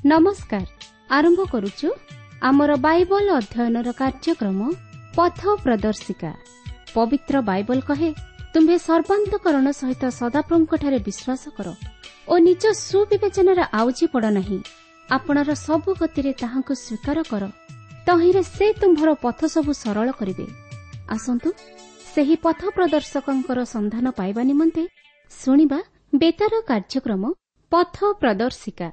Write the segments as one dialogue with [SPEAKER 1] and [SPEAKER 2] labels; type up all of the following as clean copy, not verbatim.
[SPEAKER 1] ନମସ୍କାର। ଆରମ୍ଭ କରୁଛୁ ଆମର ବାଇବଲ ଅଧ୍ୟୟନର କାର୍ଯ୍ୟକ୍ରମ ପଥ ପ୍ରଦର୍ଶିକା। ପବିତ୍ର ବାଇବଲ କହେ, ତୁମ୍ଭେ ସର୍ବାନ୍ତକରଣ ସହିତ ସଦାପ୍ରଭୁଙ୍କଠାରେ ବିଶ୍ୱାସ କର ଓ ନିଜ ସୁବିବେଚନାରେ ଆଉଜି ପଡ଼ ନାହିଁ। ଆପଣାର ସବୁ ଗତିରେ ତାହାଙ୍କୁ ସ୍ୱୀକାର କର, ତହିଁରେ ସେ ତୁମ୍ଭର ପଥ ସବୁ ସରଳ କରିବେ। ଆସନ୍ତୁ ସେହି ପଥ ପ୍ରଦର୍ଶକଙ୍କର ସନ୍ଧାନ ପାଇବା ନିମନ୍ତେ ଶୁଣିବା ବେତାର କାର୍ଯ୍ୟକ୍ରମ ପଥ ପ୍ରଦର୍ଶିକା।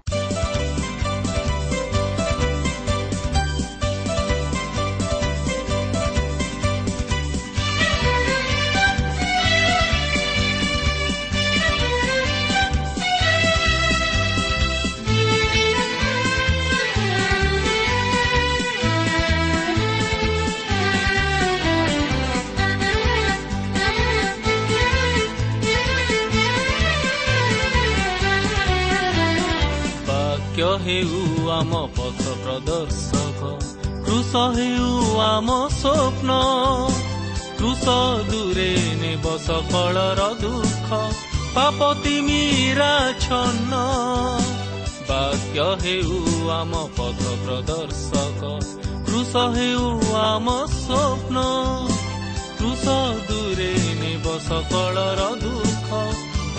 [SPEAKER 2] ବାକ୍ୟ ହେଉ ଆମ ପଥ ପ୍ରଦର୍ଶକ, କୃଷ ହେଉ ଆମ ସ୍ୱପ୍ନ। କୃଷ ଦୂରେ ନେବ ସକଳର ଦୁଃଖ, ପାପ ତିମିରାଚ୍ଛନ୍ନ। ବାକ୍ୟ ହେଉ ଆମ ପଥ ପ୍ରଦର୍ଶକ, କୃଷ ହେଉ ଆମ ସ୍ୱପ୍ନ। କୃଷ ଦୂରେ ନେବ ସକଳର ଦୁଃଖ,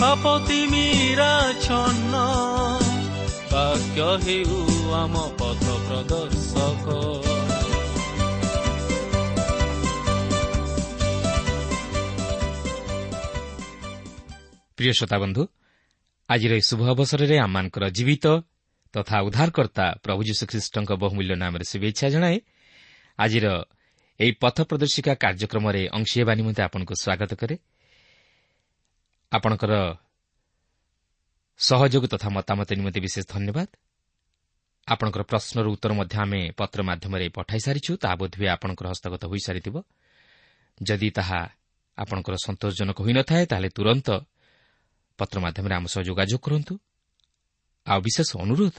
[SPEAKER 2] ପାପ ତିମିରାଚ୍ଛନ୍ନ। ବାକ୍ୟ ହେଉ ଆମ ପଥ ପ୍ରଦର୍ଶକ।
[SPEAKER 3] ପ୍ରିୟ ଶ୍ରୋତାବନ୍ଧୁ, ଆଜିର ଏହି ଶୁଭ ଅବସରରେ ଆମମାନଙ୍କର ଜୀବିତ ତଥା ଉଦ୍ଧାରକର୍ତ୍ତା ପ୍ରଭୁ ଯୀଶୁଖ୍ରୀଷ୍ଟଙ୍କ ବହୁମୂଲ୍ୟ ନାମରେ ଶୁଭେଚ୍ଛା ଜଣାଏ ଆଜିର ଏହି ପଥ ପ୍ରଦର୍ଶିକା କାର୍ଯ୍ୟକ୍ରମରେ ଅଂଶୀ ହେବା ନିମନ୍ତେ ଆପଣଙ୍କୁ ସ୍ୱାଗତ କରେ। ଆପଣଙ୍କର ସହଯୋଗ ତଥା ମତାମତ ନିମନ୍ତେ ବିଶେଷ ଧନ୍ୟବାଦ। ଆପଣଙ୍କର ପ୍ରଶ୍ନର ଉତ୍ତର ମଧ୍ୟ ଆମେ ପତ୍ର ମାଧ୍ୟମରେ ପଠାଇ ସାରିଛୁ, ତାହା ବୋଧହୁଏ ଆପଣଙ୍କର ହସ୍ତଗତ ହୋଇସାରିଥିବ। ଯଦି ତାହା ଆପଣଙ୍କର ସନ୍ତୋଷଜନକ ହୋଇନଥାଏ, ତାହେଲେ ତୁରନ୍ତ ପତ୍ର ମାଧ୍ୟମରେ ଆମ ସହ ଯୋଗାଯୋଗ କରନ୍ତୁ। ଆଉ ବିଶେଷ ଅନୁରୋଧ,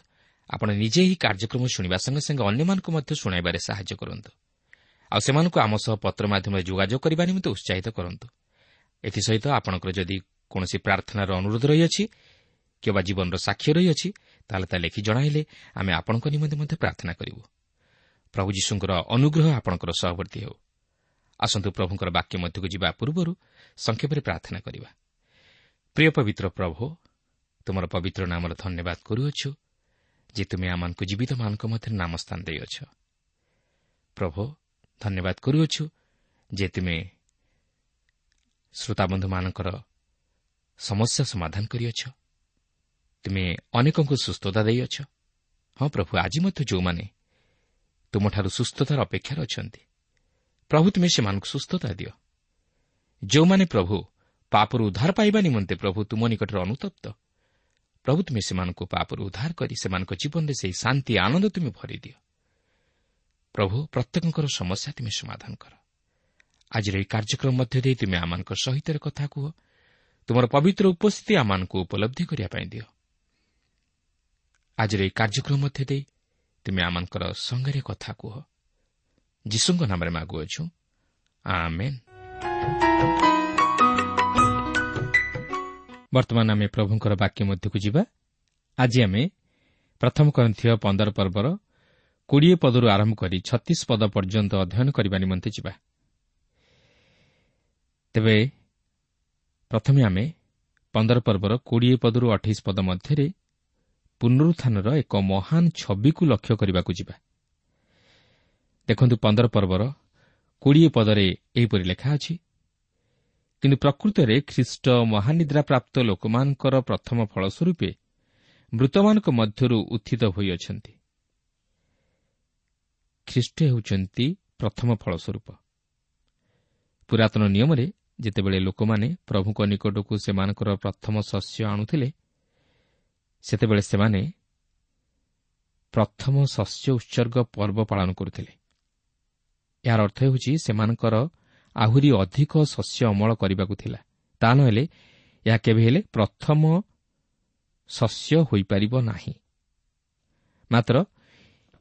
[SPEAKER 3] ଆପଣ ନିଜେ ଏହି କାର୍ଯ୍ୟକ୍ରମ ଶୁଣିବା ସଙ୍ଗେ ସଙ୍ଗେ ଅନ୍ୟମାନଙ୍କୁ ମଧ୍ୟ ଶୁଣାଇବାରେ ସାହାଯ୍ୟ କରନ୍ତୁ, ଆଉ ସେମାନଙ୍କୁ ଆମ ସହ ପତ୍ର ମାଧ୍ୟମରେ ଯୋଗାଯୋଗ କରିବା ନିମନ୍ତେ ଉତ୍ସାହିତ କରନ୍ତୁ। ଏଥିସହିତ ଆପଣଙ୍କର ଯଦି କୌଣସି ପ୍ରାର୍ଥନାର ଅନୁରୋଧ ରହିଅଛି କିମ୍ବା ଜୀବନର ସାକ୍ଷ୍ୟ ରହିଅଛି, ତାହେଲେ ତା ଲେଖି ଜଣାଇଲେ ଆମେ ଆପଣଙ୍କ ନିମନ୍ତେ ମଧ୍ୟ ପ୍ରାର୍ଥନା କରିବୁ। ପ୍ରଭୁ ଯୀଶୁଙ୍କର ଅନୁଗ୍ରହ ଆପଣଙ୍କର ସହବର୍ତ୍ତୀ ହେଉ। ଆସନ୍ତୁ ପ୍ରଭୁଙ୍କର ବାକ୍ୟ ମଧ୍ୟକୁ ଯିବା ପୂର୍ବରୁ ସଂକ୍ଷେପରେ ପ୍ରାର୍ଥନା କରିବା। ପ୍ରିୟ ପବିତ୍ର ପ୍ରଭୁ, ତୁମର ପବିତ୍ର ନାମର ଧନ୍ୟବାଦ କରୁଅଛୁ ଯେ ତୁମେ ଆମମାନଙ୍କୁ ଜୀବିତମାନଙ୍କ ମଧ୍ୟରେ ନାମ ସ୍ଥାନ ଦେଇଅଛ। ପ୍ରଭୁ, ଧନ୍ୟବାଦ କରୁଅଛୁ ଯେ ତୁମେ ଶ୍ରୋତାବନ୍ଧୁମାନଙ୍କର ସମସ୍ୟା ସମାଧାନ କରିଅଛ, ତୁମେ ଅନେକଙ୍କୁ ସୁସ୍ଥତା ଦେଇଅଛ। ହଁ ପ୍ରଭୁ, ଆଜି ମଧ୍ୟ ଯେଉଁମାନେ ତୁମଠାରୁ ସୁସ୍ଥତାର ଅପେକ୍ଷାରେ ଅଛନ୍ତି, ପ୍ରଭୁ ତୁମେ ସେମାନଙ୍କୁ ସୁସ୍ଥତା ଦିଅ। ଯେଉଁମାନେ ପ୍ରଭୁ ପାପରୁ ଉଦ୍ଧାର ପାଇବା ନିମନ୍ତେ ପ୍ରଭୁ ତୁମ ନିକଟରେ ଅନୁତପ୍ତ, ପ୍ରଭୁ ତୁମେ ସେମାନଙ୍କୁ ପାପରୁ ଉଦ୍ଧାର କରି ସେମାନଙ୍କ ଜୀବନରେ ସେହି ଶାନ୍ତି ଆନନ୍ଦ ତୁମେ ଭରିଦିଅ। ପ୍ରଭୁ, ପ୍ରତ୍ୟେକଙ୍କର ସମସ୍ୟା ତୁମେ ସମାଧାନ କର। ଆଜିର ଏହି କାର୍ଯ୍ୟକ୍ରମ ମଧ୍ୟ ଦେଇ ତୁମେ ଆମମାନଙ୍କ ସହିତ କଥା କୁହ, ତୁମର ପବିତ୍ର ଉପସ୍ଥିତି ଆମମାନଙ୍କୁ ଉପଲବ୍ଧି କରିବା ପାଇଁ ଦିଅ। ଆଜିର ଏହି କାର୍ଯ୍ୟକ୍ରମ ମଧ୍ୟ ଦେଇ ତୁମେ ଆମମାନଙ୍କର ସଙ୍ଗରେ କଥା କୁହ। ଯୀଶୁଙ୍କ ନାମରେ ମାଗୁଅଛୁ, ଆମେନ୍। ବର୍ତ୍ତମାନ ଆମେ ପ୍ରଭୁଙ୍କର ବାକ୍ୟ ମଧ୍ୟକୁ ଯିବା। ଆଜି ଆମେ ପ୍ରଥମ କରିନ୍ଥୀୟ 15 ପର୍ବର 20 ପଦରୁ ଆରମ୍ଭ କରି 36 ପଦ ପର୍ଯ୍ୟନ୍ତ ଅଧ୍ୟୟନ କରିବା ନିମନ୍ତେ ଯିବା। ତେବେ ପ୍ରଥମେ ଆମେ 15 ପର୍ବର 20 ପଦରୁ 28 ପଦ ମଧ୍ୟରେ ପୁନରୁତ୍ଥାନର ଏକ ମହାନ ଛବିକୁ ଲକ୍ଷ୍ୟ କରିବାକୁ ଯିବା। ଦେଖନ୍ତୁ, 15 ପର୍ବର 20 ପଦରେ ଏହିପରି ଲେଖା ଅଛି, କିନ୍ତୁ ପ୍ରକୃତରେ ଖ୍ରୀଷ୍ଟ ମହାନିଦ୍ରାପ୍ରାପ୍ତ ଲୋକମାନଙ୍କର ପ୍ରଥମ ଫଳସ୍ୱରୂପେ ମୃତମାନଙ୍କ ମଧ୍ୟରୁ ଉତ୍ଥିତ ହୋଇଅଛନ୍ତି। ଖ୍ରୀଷ୍ଟ ହେଉଛନ୍ତି ପ୍ରଥମ ଫଳସ୍ୱରୂପ। ପୁରାତନ ନିୟମରେ ଯେତେବେଳେ ଲୋକମାନେ ପ୍ରଭୁଙ୍କ ନିକଟକୁ ସେମାନଙ୍କର ପ୍ରଥମ ଶସ୍ୟ ଆଣୁଥିଲେ, ସେତେବେଳେ ସେମାନେ ପ୍ରଥମ ଶସ୍ୟ ଉତ୍ସର୍ଗ ପର୍ବ ପାଳନ କରୁଥିଲେ। ଏହାର ଅର୍ଥ ହେଉଛି ସେମାନଙ୍କର ଆହୁରି ଅଧିକ ଶସ୍ୟ ଅମଳ କରିବାକୁ ଥିଲା, ତା ନହେଲେ ଏହା କେବେ ହେଲେ ପ୍ରଥମ ଶସ୍ୟ ହୋଇପାରିବ ନାହିଁ। ମାତ୍ର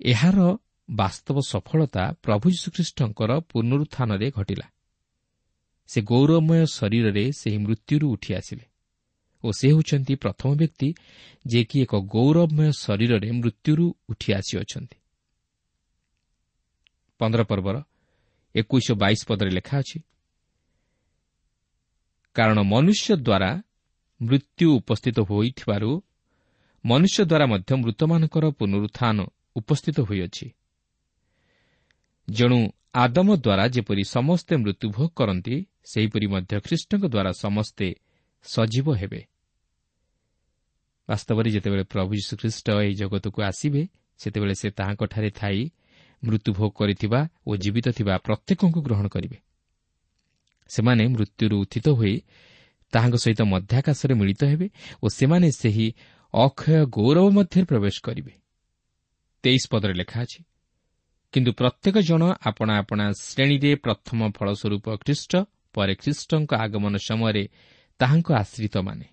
[SPEAKER 3] ଏହାର ବାସ୍ତବ ସଫଳତା ପ୍ରଭୁ ଯୀଶୁଖ୍ରୀଷ୍ଟଙ୍କର ପୁନରୁତ୍ଥାନରେ ଘଟିଲା। ସେ ଗୌରବମୟ ଶରୀରରେ ସେହି ମୃତ୍ୟୁରୁ ଉଠି ଆସିଲେ ଓ ଓ ସେ ହେଉଛନ୍ତି ପ୍ରଥମ ବ୍ୟକ୍ତି ଯିଏକି ଏକ ଗୌରବମୟ ଶରୀରରେ ମୃତ୍ୟୁରୁ ଉଠି ଆସିଅଛନ୍ତି। 15 ପର୍ବର 21 ଓ 22 ପଦରେ ଲେଖା ଅଛି, କାରଣ ମନୁଷ୍ୟ ଦ୍ୱାରା ମୃତ୍ୟୁ ଉପସ୍ଥିତ ହୋଇଥିବାରୁ ମନୁଷ୍ୟ ଦ୍ୱାରା ମଧ୍ୟ ମୃତମାନଙ୍କର ପୁନରୁତ୍ଥାନ ଉପସ୍ଥିତ ହୋଇଅଛି। ଯେଣୁ ଆଦମ ଦ୍ୱାରା ଯେପରି ସମସ୍ତେ ମୃତ୍ୟୁଭୋଗ କରନ୍ତି, ସେହିପରି ମଧ୍ୟ ଖ୍ରୀଷ୍ଟଙ୍କ ଦ୍ୱାରା ସମସ୍ତେ ସଜୀବ ହେବେ। ବାସ୍ତବରେ ଯେତେବେଳେ ପ୍ରଭୁ ଯୀଶୁଖ୍ରୀଷ୍ଟ ଏହି ଜଗତକୁ ଆସିବେ, ସେତେବେଳେ ସେ ତାହାଙ୍କଠାରେ ଥାଇ ମୃତ୍ୟୁଭୋଗ କରିଥିବା ଓ ଜୀବିତ ଥିବା ପ୍ରତ୍ୟେକଙ୍କୁ ଗ୍ରହଣ କରିବେ। ସେମାନେ ମୃତ୍ୟୁରୁ ଉତ୍ଥିତ ହୋଇ ତାହାଙ୍କ ସହିତ ମଧ୍ୟାକାଶରେ ମିଳିତ ହେବେ ଓ ସେମାନେ ସେହି ଅକ୍ଷୟ ଗୌରବ ମଧ୍ୟରେ ପ୍ରବେଶ କରିବେ। 23 ପଦରେ ଲେଖା ଅଛି, କିନ୍ତୁ ପ୍ରତ୍ୟେକ ଜଣ ଆପଣା ଆପଣା ଶ୍ରେଣୀରେ ପ୍ରଥମ ଫଳସ୍ୱରୂପ ଖ୍ରୀଷ୍ଟ, ପରେ ଖ୍ରୀଷ୍ଟଙ୍କ ଆଗମନ ସମୟରେ ତାହାଙ୍କ ଆଶ୍ରିତମାନେ।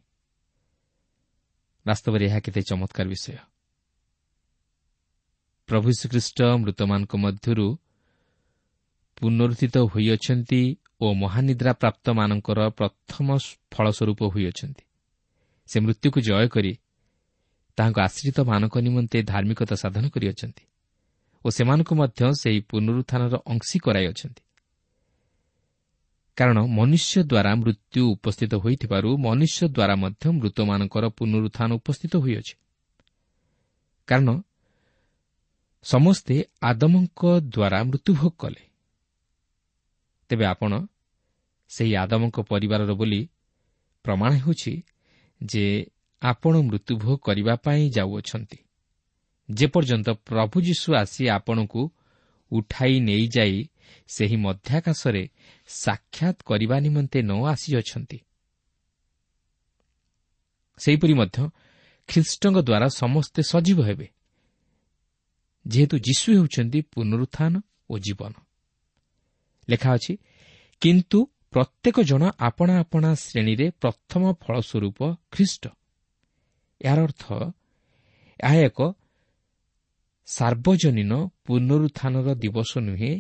[SPEAKER 3] ବାସ୍ତବରେ ଏହା କେତେ ଚମତ୍କାର ବିଷୟ। ପ୍ରଭୁ ଯୀଶୁଖ୍ରୀଷ୍ଟ ମୃତମାନଙ୍କ ମଧ୍ୟରୁ ପୁନରୁତ୍ଥିତ ହୋଇଅଛନ୍ତି ଓ ମହାନିଦ୍ରା ପ୍ରାପ୍ତମାନଙ୍କର ପ୍ରଥମ ଫଳସ୍ୱରୂପ ହୋଇଅଛନ୍ତି। ସେ ମୃତ୍ୟୁକୁ ଜୟ କରି ତାହାଙ୍କ ଆଶ୍ରିତମାନଙ୍କ ନିମନ୍ତେ ଧାର୍ମିକତା ସାଧନ କରିଅଛନ୍ତି ଓ ସେମାନଙ୍କୁ ମଧ୍ୟ ସେହି ପୁନରୁତ୍ଥାନର ଅଂଶୀ କରାଇଅଛନ୍ତି। କାରଣ ମନୁଷ୍ୟ ଦ୍ୱାରା ମୃତ୍ୟୁ ଉପସ୍ଥିତ ହୋଇଥିବାରୁ ମନୁଷ୍ୟ ଦ୍ୱାରା ମଧ୍ୟ ମୃତମାନଙ୍କର ପୁନରୁତ୍ଥାନ ଉପସ୍ଥିତ ହୋଇଅଛି। କାରଣ ସମସ୍ତେ ଆଦମଙ୍କ ଦ୍ୱାରା ମୃତ୍ୟୁଭୋଗ କଲେ। ତେବେ ଆପଣ ସେହି ଆଦମଙ୍କ ପରିବାରର ବୋଲି ପ୍ରମାଣ ହେଉଛି ଯେ ଆପଣ ମୃତ୍ୟୁଭୋଗ କରିବା ପାଇଁ ଯାଉଅଛନ୍ତି, ଯେପର୍ଯ୍ୟନ୍ତ ପ୍ରଭୁ ଯୀଶୁ ଆସି ଆପଣଙ୍କୁ ଉଠାଇ ନେଇଯାଇ ସେହି ମଧ୍ୟାକାଶରେ ସାକ୍ଷାତ କରିବା ନିମନ୍ତେ ନ ଆସିଅଛନ୍ତି। ସେହିପରି ମଧ୍ୟ ଖ୍ରୀଷ୍ଟଙ୍କ ଦ୍ୱାରା ସମସ୍ତେ ସଜୀବ ହେବେ, ଯେହେତୁ ଯୀଶୁ ହେଉଛନ୍ତି ପୁନରୁତ୍ଥାନ ଓ ଜୀବନ। ଲେଖା ଅଛି, କିନ୍ତୁ ପ୍ରତ୍ୟେକ ଜଣ ଆପଣା ଆପଣା ଶ୍ରେଣୀରେ ପ୍ରଥମ ଫଳସ୍ୱରୂପ ଖ୍ରୀଷ୍ଟ। ଏହାର ଅର୍ଥ ଏହା ଏକ ସାର୍ବଜନୀନ ପୁନରୁତ୍ଥାନର ଦିବସ ନୁହେଁ,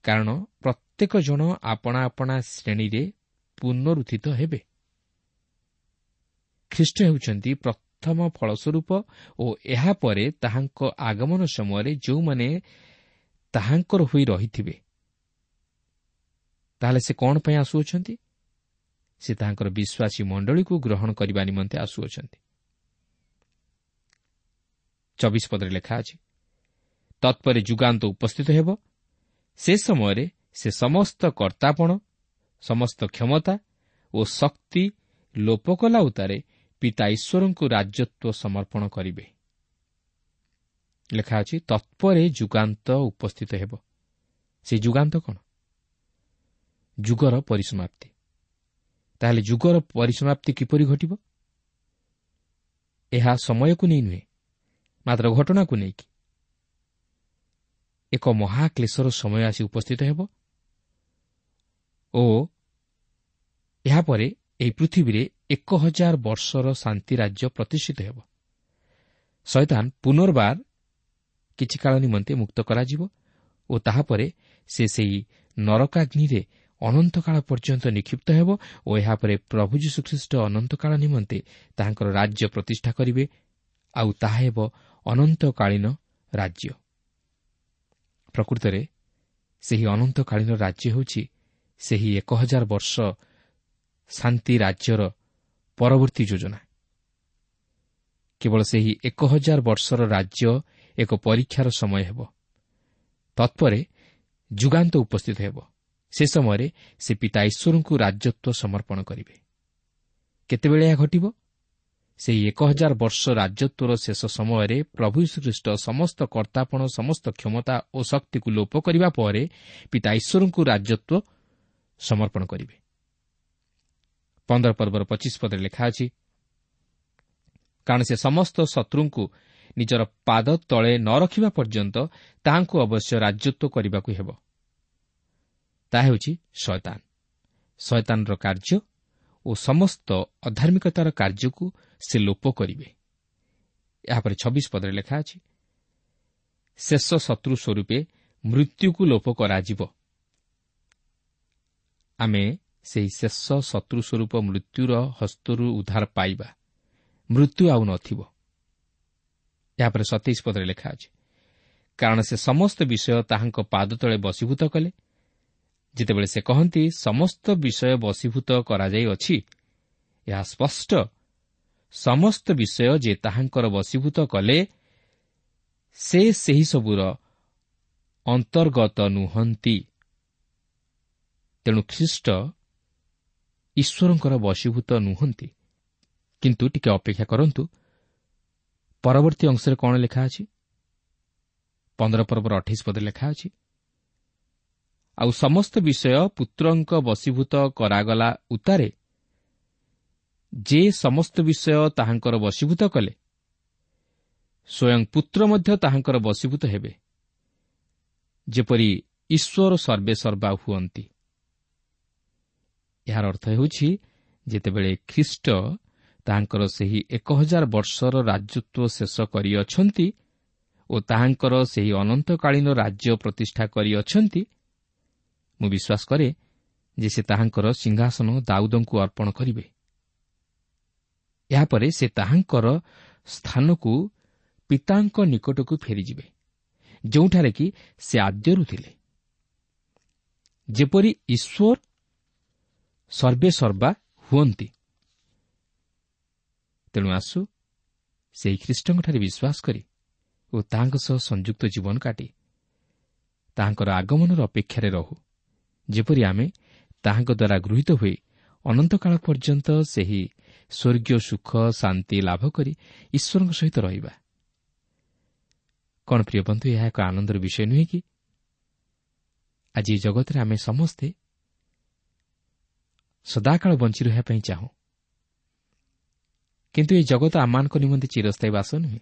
[SPEAKER 3] କାରଣ ପ୍ରତ୍ୟେକ ଜଣ ଆପଣା ଆପଣା ଶ୍ରେଣୀରେ ପୁନରୁତ୍ଥିତ ହେବେ। ଖ୍ରୀଷ୍ଟ ହେଉଛନ୍ତି ପ୍ରଥମ ଫଳସ୍ୱରୂପ ଓ ଏହାପରେ ତାହାଙ୍କ ଆଗମନ ସମୟରେ ଯେଉଁମାନେ ତାହାଙ୍କର ହୋଇ ରହିଥିବେ। ତାହେଲେ ସେ କ'ଣ ପାଇଁ ଆସୁଅଛନ୍ତି? ସେ ତାହାଙ୍କର ବିଶ୍ୱାସୀ ମଣ୍ଡଳୀକୁ ଗ୍ରହଣ କରିବା ନିମନ୍ତେ ଆସୁଅଛନ୍ତି। 24 ପଦରେ ଲେଖା ଅଛି, ତତ୍ପରେ ଯୁଗାନ୍ତ ଉପସ୍ଥିତ ହେବ। ସେ ସମୟରେ ସେ ସମସ୍ତ କର୍ତ୍ତାପଣ, ସମସ୍ତ କ୍ଷମତା ଓ ଶକ୍ତି ଲୋପ କଲା ଉତ୍ତାରେ ପିତା ଈଶ୍ୱରଙ୍କୁ ରାଜତ୍ୱ ସମର୍ପଣ କରିବେ। ଲେଖା ଅଛି, ତତ୍ପରେ ଯୁଗାନ୍ତ ଉପସ୍ଥିତ ହେବ। ସେ ଯୁଗାନ୍ତ କ'ଣ? ଯୁଗର ପରିସମାପ୍ତି। ତାହେଲେ ଯୁଗର ପରିସମାପ୍ତି କିପରି ଘଟିବ? ଏହା ସମୟକୁ ନେଇ ନୁହେଁ, ମାତ୍ର ଘଟଣାକୁ ନେଇକି। ଏକ ମହାକ୍ଲେଶର ସମୟ ଆସି ଉପସ୍ଥିତ ହେବ ଓ ଏହାପରେ ଏହି ପୃଥିବୀରେ 1000 ବର୍ଷର ଶାନ୍ତି ରାଜ୍ୟ ପ୍ରତିଷ୍ଠିତ ହେବ। ଶୟତାନ ପୁନର୍ବାର କିଛି କାଳ ନିମନ୍ତେ ମୁକ୍ତ କରାଯିବ ଓ ତାହାପରେ ସେ ସେହି ନରକାଗ୍ନିରେ ଅନନ୍ତକାଳ ପର୍ଯ୍ୟନ୍ତ ନିକ୍ଷିପ୍ତ ହେବ ଓ ଏହାପରେ ପ୍ରଭୁ ଯୀଶୁଖ୍ରୀଷ୍ଟ ଅନନ୍ତକାଳ ନିମନ୍ତେ ତାହାଙ୍କର ରାଜ୍ୟ ପ୍ରତିଷ୍ଠା କରିବେ, ଆଉ ତାହା ହେବ ଅନନ୍ତକାଳୀନ ରାଜ୍ୟ। ପ୍ରକୃତରେ ସେହି ଅନନ୍ତକାଳୀନ ରାଜ୍ୟ ହେଉଛି ସେହି 1000 ବର୍ଷ ଶାନ୍ତି ରାଜ୍ୟର ପରବର୍ତ୍ତୀ ଯୋଜନା। କେବଳ ସେହି 1000 ବର୍ଷର ରାଜ୍ୟ ଏକ ପରୀକ୍ଷାର ସମୟ ହେବ। ତତ୍ପରେ ଯୁଗାନ୍ତ ଉପସ୍ଥିତ ହେବ। ସେ ସମୟରେ ସେ ପିତା ଈଶ୍ୱରଙ୍କୁ ରାଜତ୍ୱ ସମର୍ପଣ କରିବେ। କେତେବେଳେ ଏହା ଘଟିବ? ସେହି 1000 ବର୍ଷ ରାଜତ୍ୱର ଶେଷ ସମୟରେ ପ୍ରଭୁ ଯୀଶୁଖ୍ରୀଷ୍ଟ ସମସ୍ତ କର୍ତ୍ତାପଣ, ସମସ୍ତ କ୍ଷମତା ଓ ଶକ୍ତିକୁ ଲୋପ କରିବା ପରେ ପିତା ଈଶ୍ୱରଙ୍କୁ ରାଜତ୍ୱ ସମର୍ପଣ କରିବେ। 15 ପର୍ବର 25 ପଦରେ ଲେଖା ଅଛି, କାରଣ ସେ ସମସ୍ତ ଶତ୍ରୁଙ୍କୁ ନିଜର ପାଦ ତଳେ ନ ରଖିବା ପର୍ଯ୍ୟନ୍ତ ତାହାଙ୍କୁ ଅବଶ୍ୟ ରାଜତ୍ୱ କରିବାକୁ ହେବ। ତାହା ହେଉଛି ଶୟତାନ। ଶୟତାନର କାର୍ଯ୍ୟ ଓ ସମସ୍ତ ଅଧାର୍ମିକତାର କାର୍ଯ୍ୟକୁ ସେ ଲୋପ କରିବେ। ଏହାପରେ 26 ପଦରେ ଲେଖା ଅଛି, ଶେଷ ଶତ୍ରୁ ସ୍ୱରୂପେ ମୃତ୍ୟୁକୁ ଲୋପ କରାଯିବ। ଆମେ ସେହି ଶେଷ ଶତ୍ରୁ ସ୍ୱରୂପ ମୃତ୍ୟୁର ହସ୍ତରୁ ଉଦ୍ଧାର ପାଇବା। ମୃତ୍ୟୁ ଆଉ ନଥିବ। ଏହାପରେ 27 ପଦରେ ଲେଖା ଅଛି, କାରଣ ସେ ସମସ୍ତ ବିଷୟ ତାହାଙ୍କ ପାଦ ତଳେ ବଶୀଭୂତ କଲେ। ଯେତେବେଳେ ସେ କହନ୍ତି ସମସ୍ତ ବିଷୟ ବଶୀଭୂତ କରାଯାଇଅଛି, ଏହା ସ୍ପଷ୍ଟ ସମସ୍ତ ବିଷୟ ଯେ ତାହାଙ୍କର ବଶୀଭୂତ କଲେ ସେ ସେହି ସବୁର ଅନ୍ତର୍ଗତ ନୁହନ୍ତି। ତେଣୁ ଖ୍ରୀଷ୍ଟ ଈଶ୍ୱରଙ୍କର ବଶୀଭୂତ ନୁହନ୍ତି। କିନ୍ତୁ ଟିକେ ଅପେକ୍ଷା କରନ୍ତୁ, ପରବର୍ତ୍ତୀ ଅଂଶରେ କ'ଣ ଲେଖା ଅଛି? 15 ପର୍ବର 28 ପଦରେ ଲେଖା ଅଛି, ଆଉ ସମସ୍ତ ବିଷୟ ପୁତ୍ରଙ୍କ ବଶୀଭୂତ କରାଗଲା ଉତ୍ତାରେ ଯେ ସମସ୍ତ ବିଷୟ ତାହାଙ୍କର ବଶୀଭୂତ କଲେ, ସ୍ୱୟଂ ପୁତ୍ର ମଧ୍ୟ ତାହାଙ୍କର ବଶୀଭୂତ ହେବେ, ଯେପରି ଈଶ୍ୱର ସର୍ବେ ସର୍ବା ହୁଅନ୍ତି। ଏହାର ଅର୍ଥ ହେଉଛି ଯେତେବେଳେ ଖ୍ରୀଷ୍ଟ ତାହାଙ୍କର ସେହି 1000 ବର୍ଷର ରାଜତ୍ୱ ଶେଷ କରିଅଛନ୍ତି ଓ ତାହାଙ୍କର ସେହି ଅନନ୍ତକାଳୀନ ରାଜ୍ୟ ପ୍ରତିଷ୍ଠା କରିଅଛନ୍ତି, ମୁଁ ବିଶ୍ୱାସ କରେ ଯେ ସେ ତାହାଙ୍କର ସିଂହାସନ ଦାଉଦଙ୍କୁ ଅର୍ପଣ କରିବେ। ଏହାପରେ ସେ ତାହାଙ୍କର ସ୍ଥାନକୁ ପିତାଙ୍କ ନିକଟକୁ ଫେରିଯିବେ, ଯେଉଁଠାରେ କି ସେ ଆଦ୍ୟରୁ ଥିଲେ। ଯେପରି ଈଶ୍ୱର ସର୍ବେ ସର୍ବା ହୁଅନ୍ତି। ତେଣୁ ଆସୁ ସେହି ଖ୍ରୀଷ୍ଟଙ୍କଠାରେ ବିଶ୍ୱାସ କରି ଓ ତାହାଙ୍କ ସହ ସଂଯୁକ୍ତ ଜୀବନ କାଟି ତାହାଙ୍କର ଆଗମନର ଅପେକ୍ଷାରେ ରହୁ, ଯେପରି ଆମେ ତାହାଙ୍କ ଦ୍ୱାରା ଗୃହୀତ ହୋଇ ଅନନ୍ତକାଳ ପର୍ଯ୍ୟନ୍ତ ସେହି ସ୍ୱର୍ଗୀୟ ସୁଖ ଶାନ୍ତି ଲାଭ କରି ଈଶ୍ୱରଙ୍କ ସହିତ ରହିବା। କ'ଣ ପ୍ରିୟ ବନ୍ଧୁ, ଏହା ଏକ ଆନନ୍ଦର ବିଷୟ ନୁହେଁ କି? ଆଜି ଏ ଜଗତରେ ଆମେ ସମସ୍ତେ ସଦାକାଳ ବଞ୍ଚି ରହିବା ପାଇଁ ଚାହୁଁ, କିନ୍ତୁ ଏ ଜଗତ ଆମମାନଙ୍କ ନିମନ୍ତେ ଚିରସ୍ଥାୟୀ ବାସ ନୁହେଁ।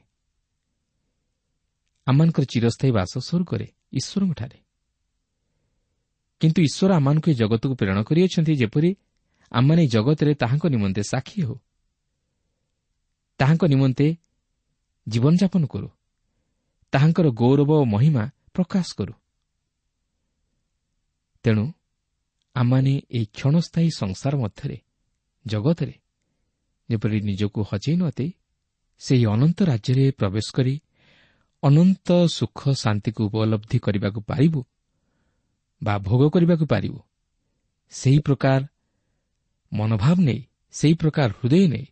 [SPEAKER 3] ଆମମାନଙ୍କର ଚିରସ୍ଥାୟୀ ବାସ ସ୍ୱର୍ଗରେ ଈଶ୍ୱରଙ୍କଠାରେ। କିନ୍ତୁ ଈଶ୍ୱର ଆମମାନଙ୍କୁ ଏ ଜଗତକୁ ପ୍ରେରଣ କରିଅଛନ୍ତି, ଯେପରି ଆମମାନେ ଏ ଜଗତରେ ତାହାଙ୍କ ନିମନ୍ତେ ସାକ୍ଷୀ ହେଉ, ତାହାଙ୍କ ନିମନ୍ତେ ଜୀବନଯାପନ କରୁ, ତାହାଙ୍କର ଗୌରବ ଓ ମହିମା ପ୍ରକାଶ କରୁ। ତେଣୁ ଆମମାନେ ଏହି କ୍ଷଣସ୍ଥାୟୀ ସଂସାର ମଧ୍ୟରେ ଜଗତରେ ଯେପରି ନିଜକୁ ହଜେଇ ନ ଦେଇ ସେହି ଅନନ୍ତ ରାଜ୍ୟରେ ପ୍ରବେଶ କରି ଅନନ୍ତ ସୁଖ ଶାନ୍ତିକୁ ଉପଲବ୍ଧି କରିବାକୁ ପାରିବୁ ବା ଭୋଗ କରିବାକୁ ପାରିବୁ, ସେହି ପ୍ରକାର ମନୋଭାବ ନେଇ, ସେହି ପ୍ରକାର ହୃଦୟ ନେଇ,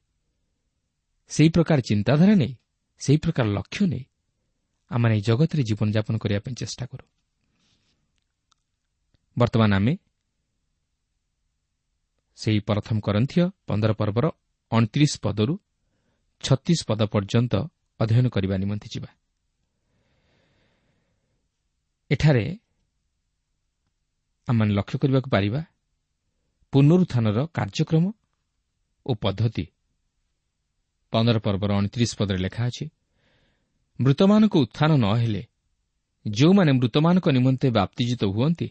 [SPEAKER 3] ସେହି ପ୍ରକାର ଚିନ୍ତାଧାରା ନେଇ, ସେହି ପ୍ରକାର ଲକ୍ଷ୍ୟ ନେଇ ଆମମାନେ ଏହି ଜଗତରେ ଜୀବନଯାପନ କରିବା ପାଇଁ ଚେଷ୍ଟା କରୁ। ବର୍ତ୍ତମାନ ଆମେ ସେହି ପ୍ରଥମ କରନ୍ଥୀୟ 15 ପର୍ବର 29 ପଦରୁ 36 ପଦ ପର୍ଯ୍ୟନ୍ତ ଅଧ୍ୟୟନ କରିବା ନିମନ୍ତେ ଯିବା। ଏଠାରେ ଆମମାନେ ଲକ୍ଷ୍ୟ କରିବାକୁ ପାରିବା ପୁନରୁତ୍ଥାନର କାର୍ଯ୍ୟକ୍ରମ ଓ ପଦ୍ଧତି। 15 ପର୍ବର 29 ପଦରେ ଲେଖା ଅଛି, ମୃତମାନଙ୍କ ଉତ୍ଥାନ ନ ହେଲେ ଯେଉଁମାନେ ମୃତମାନଙ୍କ ନିମନ୍ତେ ବାପ୍ତିଜିତ ହୁଅନ୍ତି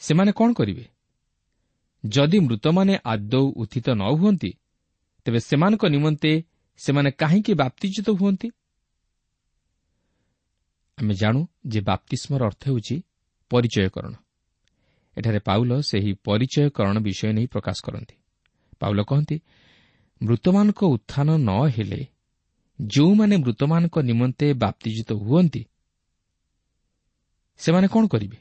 [SPEAKER 3] ସେମାନେ କ'ଣ କରିବେ? ଯଦି ମୃତମାନେ ଆଦୌ ଉତ୍ଥିତ ନ ହୁଅନ୍ତି, ତେବେ ସେମାନଙ୍କ ନିମନ୍ତେ ସେମାନେ କାହିଁକି ବାପ୍ତିଜିତ ହୁଅନ୍ତି? ଆମେ ଜାଣୁ ଯେ ବାପ୍ତିସ୍ମର ଅର୍ଥ ହେଉଛି ପରିଚୟକରଣ। ଏଠାରେ ପାଉଲ ସେହି ପରିଚୟକରଣ ବିଷୟ ନେଇ ପ୍ରକାଶ କରନ୍ତି। ପାଉଲ କହନ୍ତି, ମୃତମାନଙ୍କ ଉତ୍ଥାନ ନ ହେଲେ ଯେଉଁମାନେ ମୃତମାନଙ୍କ ନିମନ୍ତେ ବାପ୍ତିଜିତ ହୁଅନ୍ତି ସେମାନେ କ'ଣ କରିବେ?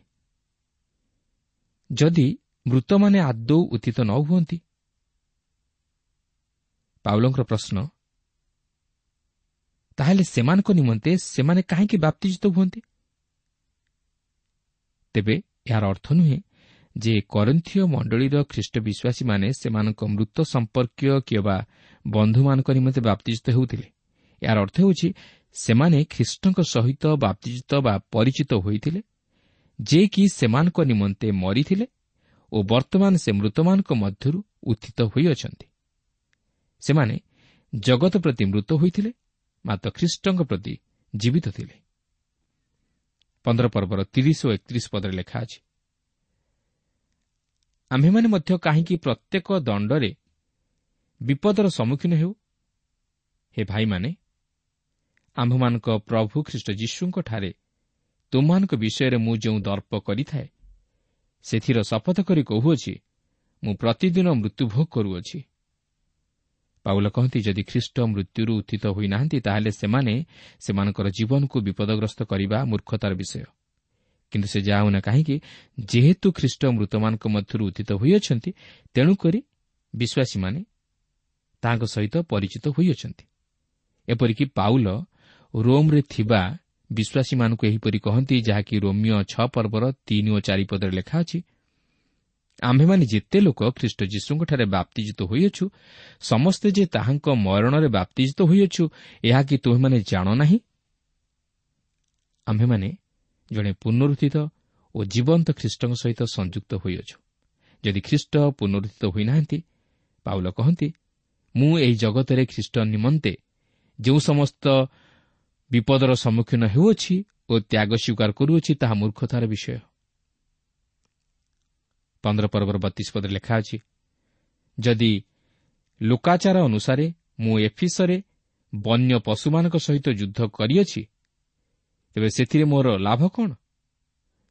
[SPEAKER 3] ଯଦି ମୃତମାନେ ଆଦୌ ଉତ୍ଥିତ ନ ହୁଅନ୍ତି? ପାଉଲଙ୍କର ପ୍ରଶ୍ନ, ତାହେଲେ ସେମାନଙ୍କ ନିମନ୍ତେ ସେମାନେ କାହିଁକି ବାପ୍ତିଜିତ ହୁଅନ୍ତି? ତେବେ ଏହାର ଅର୍ଥ ନୁହେଁ ଯେ କରିନ୍ଥୀୟ ମଣ୍ଡଳୀର ଖ୍ରୀଷ୍ଟ ବିଶ୍ୱାସୀମାନେ ସେମାନଙ୍କ ମୃତ ସମ୍ପର୍କୀୟ କିମ୍ବା ବନ୍ଧୁମାନଙ୍କ ନିମନ୍ତେ ବାପ୍ତିଜିତ ହେଉଥିଲେ। ଏହାର ଅର୍ଥ ହେଉଛି ସେମାନେ ଖ୍ରୀଷ୍ଟଙ୍କ ସହିତ ବାପ୍ତିଜିତ ବା ପରିଚିତ ହୋଇଥିଲେ, ଯେ କି ସେମାନଙ୍କ ନିମନ୍ତେ ମରିଥିଲେ ଓ ବର୍ତ୍ତମାନ ସେ ମୃତମାନଙ୍କ ମଧ୍ୟରୁ ଉତ୍ଥିତ ହୋଇଅଛନ୍ତି। ସେମାନେ ଜଗତ ପ୍ରତି ମୃତ ହୋଇଥିଲେ, ମାତ୍ର ଖ୍ରୀଷ୍ଟଙ୍କ ପ୍ରତି ଜୀବିତ ଥିଲେ। 15 ପର୍ବର 30 ଓ 31 ପଦରେ ଲେଖା ଅଛି, ଆମ୍ଭେମାନେ ମଧ୍ୟ କାହିଁକି ପ୍ରତ୍ୟେକ ଦଣ୍ଡରେ ବିପଦର ସମ୍ମୁଖୀନ ହେଉ? ହେ ଭାଇମାନେ, ଆମ୍ଭମାନଙ୍କ ପ୍ରଭୁ ଖ୍ରୀଷ୍ଟ ଯୀଶୁଙ୍କଠାରେ ତୁମମାନଙ୍କ ବିଷୟରେ ମୁଁ ଯେଉଁ ଦର୍ପ କରିଥାଏ ସେଥିର ଶପଥ କରି କହୁଅଛି, ମୁଁ ପ୍ରତିଦିନ ମୃତ୍ୟୁଭୋଗ କରୁଅଛି। ପାଉଲ କହନ୍ତି, ଯଦି ଖ୍ରୀଷ୍ଟ ମୃତ୍ୟୁରୁ ଉତ୍ଥିତ ହୋଇନାହାନ୍ତି, ତାହେଲେ ସେମାନେ ସେମାନଙ୍କର ଜୀବନକୁ ବିପଦଗ୍ରସ୍ତ କରିବା ମୂର୍ଖତାର ବିଷୟ। କିନ୍ତୁ ସେ ଯାହା ହେଉନା କାହିଁକି, ଯେହେତୁ ଖ୍ରୀଷ୍ଟ ମୃତମାନଙ୍କ ମଧ୍ୟରୁ ଉତ୍ଥିତ ହୋଇଅଛନ୍ତି, ତେଣୁକରି ବିଶ୍ୱାସୀମାନେ ତାହାଙ୍କ ସହିତ ପରିଚିତ ହୋଇଅଛନ୍ତି। ଏପରିକି ପାଉଲ ରୋମ୍ରେ ଥିବା ବିଶ୍ୱାସୀମାନଙ୍କୁ ଏହିପରି କହନ୍ତି, ଯାହାକି ରୋମିଓ 6 ପର୍ବର 3 ଓ 4 ପଦରେ ଲେଖା ଅଛି, ଆମ୍ଭେମାନେ ଯେତେ ଲୋକ ଖ୍ରୀଷ୍ଟ ଯୀଶୁଙ୍କଠାରେ ବାପ୍ତିଜିତ ହୋଇଅଛୁ, ସମସ୍ତେ ଯେ ତାହାଙ୍କ ମରଣରେ ବାପ୍ତିଜିତ ହୋଇଅଛୁ, ଏହା କି ତୁମେମାନେ ଜାଣ ନାହିଁ? ଆମ୍ଭେମାନେ ଜଣେ ପୁନରୁତ୍ଥିତ ଓ ଜୀବନ୍ତ ଖ୍ରୀଷ୍ଟଙ୍କ ସହିତ ସଂଯୁକ୍ତ ହୋଇଅଛୁ। ଯଦି ଖ୍ରୀଷ୍ଟ ପୁନରୁତ୍ଥିତ ହୋଇନାହାନ୍ତି, ପାଉଲ କହନ୍ତି, ମୁଁ ଏହି ଜଗତରେ ଖ୍ରୀଷ୍ଟ ନିମନ୍ତେ ଯେଉଁ ସମସ୍ତ ବିପଦର ସମ୍ମୁଖୀନ ହେଉଅଛି ଓ ତ୍ୟାଗ ସ୍ୱୀକାର କରୁଅଛି, ତାହା ମୂର୍ଖତାର ବିଷୟ। 15 ପର୍ବର 32 ପଦରେ ଲେଖା ଅଛି, ଯଦି ଲୋକାଚାର ଅନୁସାରେ ମୁଁ ଏଫିସରେ ବନ୍ୟ ପଶୁମାନଙ୍କ ସହିତ ଯୁଦ୍ଧ କରିଅଛି, ତେବେ ସେଥିରେ ମୋର ଲାଭ କ'ଣ?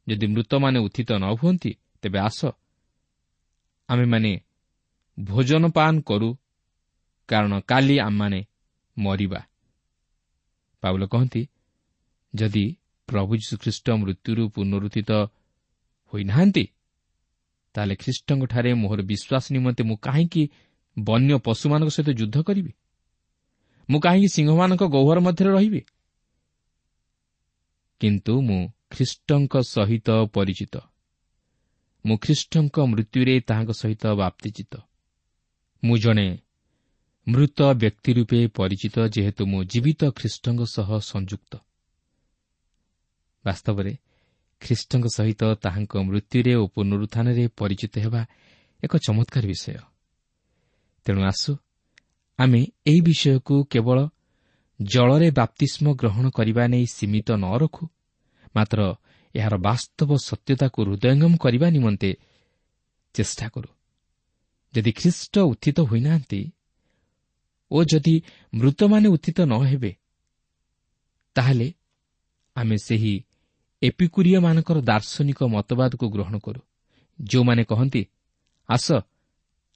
[SPEAKER 3] ଯଦି ମୃତମାନେ ଉତ୍ଥିତ ନ ହୁଅନ୍ତି, ତେବେ ଆସ ଆମେମାନେ ଭୋଜନପାନ କରୁ, କାରଣ କାଲି ଆମମାନେ ମରିବା। ପାଉଲ କହନ୍ତି, ଯଦି ପ୍ରଭୁ ଯୀଶୁଖ୍ରୀଷ୍ଟ ମୃତ୍ୟୁରୁ ପୁନରୁତ୍ଥିତ ହୋଇନାହାନ୍ତି, ତାହେଲେ ଖ୍ରୀଷ୍ଟଙ୍କଠାରେ ମୋହର ବିଶ୍ୱାସ ନିମନ୍ତେ ମୁଁ କାହିଁକି ବନ୍ୟ ପଶୁମାନଙ୍କ ସହିତ ଯୁଦ୍ଧ କରିବି? ମୁଁ କାହିଁକି ସିଂହମାନଙ୍କ ଗହ୍ୱର ମଧ୍ୟରେ ରହିବି? କିନ୍ତୁ ମୁଁ ଖ୍ରୀଷ୍ଟଙ୍କ ସହିତ ପରିଚିତ। ମୁଁ ଖ୍ରୀଷ୍ଟଙ୍କ ମୃତ୍ୟୁରେ ତାହାଙ୍କ ସହିତ ବାପ୍ତିଜିତ। ମୁଁ ଜଣେ ମୃତ ବ୍ୟକ୍ତି ରୂପେ ପରିଚିତ, ଯେହେତୁ ମୁଁ ଜୀବିତ ଖ୍ରୀଷ୍ଟଙ୍କ ସହ ସଂଯୁକ୍ତ। ବାସ୍ତବରେ ଖ୍ରୀଷ୍ଟଙ୍କ ସହିତ ତାହାଙ୍କ ମୃତ୍ୟୁରେ ଓ ପୁନରୁତ୍ଥାନରେ ପରିଚିତ ହେବା ଏକ ଚମତ୍କାର ବିଷୟ। ତେଣୁ ଆସୁ ଆମେ ଏହି ବିଷୟକୁ କେବଳ ଜଳରେ ବାପ୍ତିସ୍ମ ଗ୍ରହଣ କରିବା ନେଇ ସୀମିତ ନ ରଖୁ, ମାତ୍ର ଏହାର ବାସ୍ତବ ସତ୍ୟତାକୁ ହୃଦୟଙ୍ଗମ କରିବା ନିମନ୍ତେ ଚେଷ୍ଟା କରୁ। ଯଦି ଖ୍ରୀଷ୍ଟ ଉତ୍ଥିତ ହୋଇନାହାନ୍ତି ଓ ଯଦି ମୃତମାନେ ଉତ୍ଥିତ ନ ହେବେ, ତାହେଲେ ଆମେ ସେହି ଏପିକୁରିୟମାନଙ୍କର ଦାର୍ଶନିକ ମତବାଦକୁ ଗ୍ରହଣ କରୁ, ଯେଉଁମାନେ କହନ୍ତି, ଆସ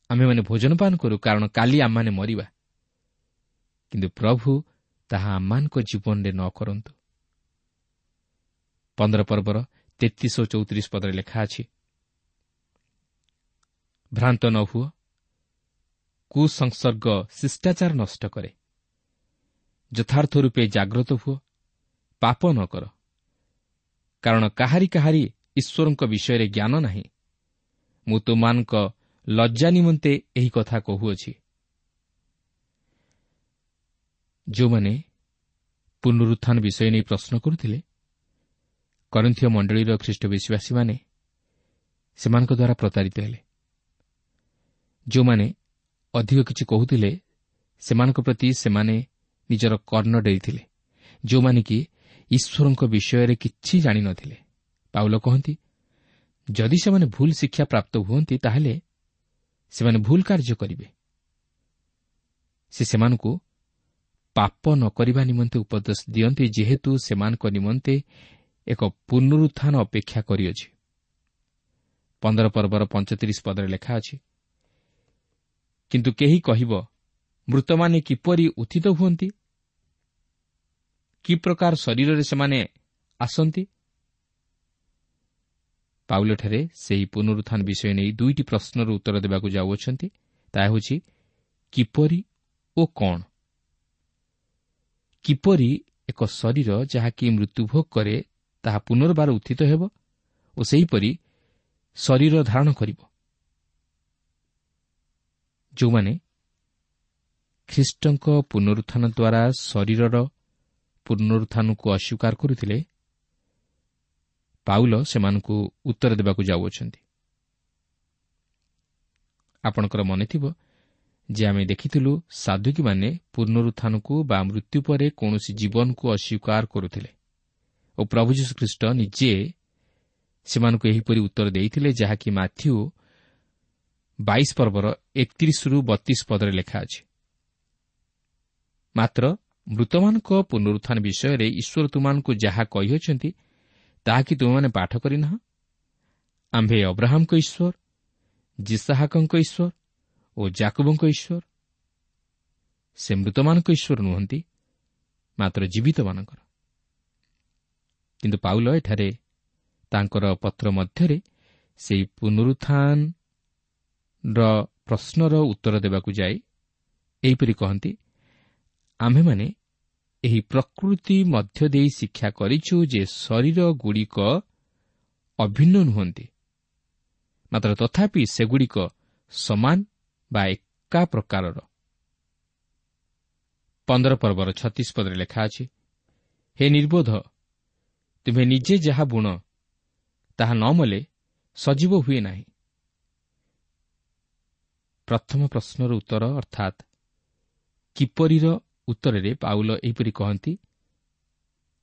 [SPEAKER 3] ଆମେମାନେ ଭୋଜନପାନ କରୁ, କାରଣ କାଲି ଆମମାନେ ମରିବା। କିନ୍ତୁ ପ୍ରଭୁ ତାହା ଆମମାନଙ୍କ ଜୀବନରେ ନ କରନ୍ତୁ। 15 ପର୍ବର 33 ଓ 34 ପଦରେ ଲେଖା ଅଛି, ଭ୍ରାନ୍ତ ନ ହୁଅ, କୁସଂସର୍ଗ ଶିଷ୍ଟାଚାର ନଷ୍ଟ କରେ। ଯଥାର୍ଥ ରୂପେ ଜାଗ୍ରତ ହୁଅ, ପାପ ନ କର, କାରଣ କାହାରି କାହାରି ଈଶ୍ୱରଙ୍କ ବିଷୟରେ ଜ୍ଞାନ ନାହିଁ। ମୁଁ ତୁମମାନଙ୍କ ଲଜ୍ଜା ନିମନ୍ତେ ଏହି କଥା କହୁଅଛି। ଯେଉଁମାନେ ପୁନରୁତ୍ଥାନ ବିଷୟ ନେଇ ପ୍ରଶ୍ନ କରୁଥିଲେ, କରିନ୍ଥୀୟ ମଣ୍ଡଳୀର ଖ୍ରୀଷ୍ଟ ବିଶ୍ୱାସୀମାନେ ସେମାନଙ୍କ ଦ୍ୱାରା ପ୍ରତାରିତ ହେଲେ। ଯେଉଁମାନେ ଅଧିକ କିଛି କହୁଥିଲେ, ସେମାନଙ୍କ ପ୍ରତି ସେମାନେ ନିଜର କର୍ଣ୍ଣ ଡେରିଥିଲେ, ଯେଉଁମାନେ କି ଈଶ୍ୱରଙ୍କ ବିଷୟରେ କିଛି ଜାଣିନଥିଲେ। ପାଉଲ କହନ୍ତି, ଯଦି ସେମାନେ ଭୁଲ ଶିକ୍ଷା ପ୍ରାପ୍ତ ହୁଅନ୍ତି, ତାହେଲେ ସେମାନେ ଭୁଲ କାର୍ଯ୍ୟ କରିବେ। ସେ ସେମାନଙ୍କୁ ପାପ ନ କରିବା ନିମନ୍ତେ ଉପଦେଶ ଦିଅନ୍ତି, ଯେହେତୁ ସେମାନଙ୍କ ନିମନ୍ତେ ଏକ ପୁନରୁତ୍ଥାନ ଅପେକ୍ଷା କରିଅଛି। 15 ପର୍ବର 35 ପଦରେ ଲେଖା ଅଛି, କିନ୍ତୁ କେହି କହିବ, ମୃତମାନେ କିପରି ଉତ୍ଥିତ ହୁଅନ୍ତି? କି ପ୍ରକାର ଶରୀରରେ ସେମାନେ ଆସନ୍ତି? ପାଉଲଠାରେ ସେହି ପୁନରୁତ୍ଥାନ ବିଷୟ ନେଇ ଦୁଇଟି ପ୍ରଶ୍ନର ଉତ୍ତର ଦେବାକୁ ଯାଉଅଛନ୍ତି। ତାହା ହେଉଛି କିପରି ଓ କ'ଣ। କିପରି ଏକ ଶରୀର ଯାହାକି ମୃତ୍ୟୁଭୋଗ କରେ ତାହା ପୁନର୍ବାର ଉତ୍ଥିତ ହେବ ଓ ସେହିପରି ଶରୀର ଧାରଣ କରିବ। ଯେଉଁମାନେ ଖ୍ରୀଷ୍ଟଙ୍କ ପୁନରୁତ୍ଥାନ ଦ୍ୱାରା ଶରୀରର ପୁନରୁତ୍ଥାନକୁ ଅସ୍ୱୀକାର କରୁଥିଲେ, ପାଉଲ ସେମାନଙ୍କୁ ଉତ୍ତର ଦେବାକୁ ଯାଉଅଛନ୍ତି। ଆପଣଙ୍କର ମନେଥିବ ଯେ ଆମେ ଦେଖିଥିଲୁ ସାଧୁକୀମାନେ ପୁନରୁତ୍ଥାନକୁ ବା ମୃତ୍ୟୁ ପରେ କୌଣସି ଜୀବନକୁ ଅସ୍ୱୀକାର କରୁଥିଲେ ଓ ପ୍ରଭୁ ଯୀଶୁଖ୍ରୀଷ୍ଟ ନିଜେ ସେମାନଙ୍କୁ ଏହିପରି ଉତ୍ତର ଦେଇଥିଲେ, ଯାହାକି ମାଥ୍ୟୁ 22 ପର୍ବର 31-32 ପଦରେ ଲେଖା ଅଛି। ମାତ୍ର ମୃତମାନଙ୍କ ପୁନରୁତ୍ଥାନ ବିଷୟରେ ଈଶ୍ୱର ତୁମମାନଙ୍କୁ ଯାହା କହିଅଛନ୍ତି, ତାହା କି ତୁମେମାନେ ପାଠ କରିନାହ? ଆମ୍ଭେ ଅବ୍ରାହମଙ୍କ ଈଶ୍ୱର, ଯିସାହାକଙ୍କ ଈଶ୍ୱର ଓ ଜାକୁବଙ୍କ ଈଶ୍ୱର। ସେ ମୃତମାନଙ୍କ ଈଶ୍ୱର ନୁହନ୍ତି, ମାତ୍ର ଜୀବିତମାନଙ୍କର। କିନ୍ତୁ ପାଉଲ ଏଠାରେ ତାଙ୍କର ପତ୍ର ମଧ୍ୟରେ ସେହି ପୁନରୁତ୍ଥାନର ପ୍ରଶ୍ନର ଉତ୍ତର ଦେବାକୁ ଯାଇ ଏହିପରି କହନ୍ତି, ଆମ୍ଭେମାନେ ଏହି ପ୍ରକୃତି ମଧ୍ୟ ଦେଇ ଶିକ୍ଷା କରିଛୁ ଯେ ଶରୀରଗୁଡ଼ିକ ଅଭିନ୍ନ ନୁହନ୍ତି, ମାତ୍ର ତଥାପି ସେଗୁଡ଼ିକ ସମାନ ବା ଏକା ପ୍ରକାରର। 15 ପର୍ବର 36 ପଦରେ ଲେଖା ଅଛି, ହେ ନିର୍ବୋଧ, ତୁମେ ନିଜେ ଯାହା ବୁଣ ତାହା ନ ମଲେ ସଜୀବ ହୁଏ ନାହିଁ। ପ୍ରଥମ ପ୍ରଶ୍ନର ଉତ୍ତର ଅର୍ଥାତ୍ କିପରିର ଉତ୍ତରରେ ପାଉଲ ଏହିପରି କହନ୍ତି,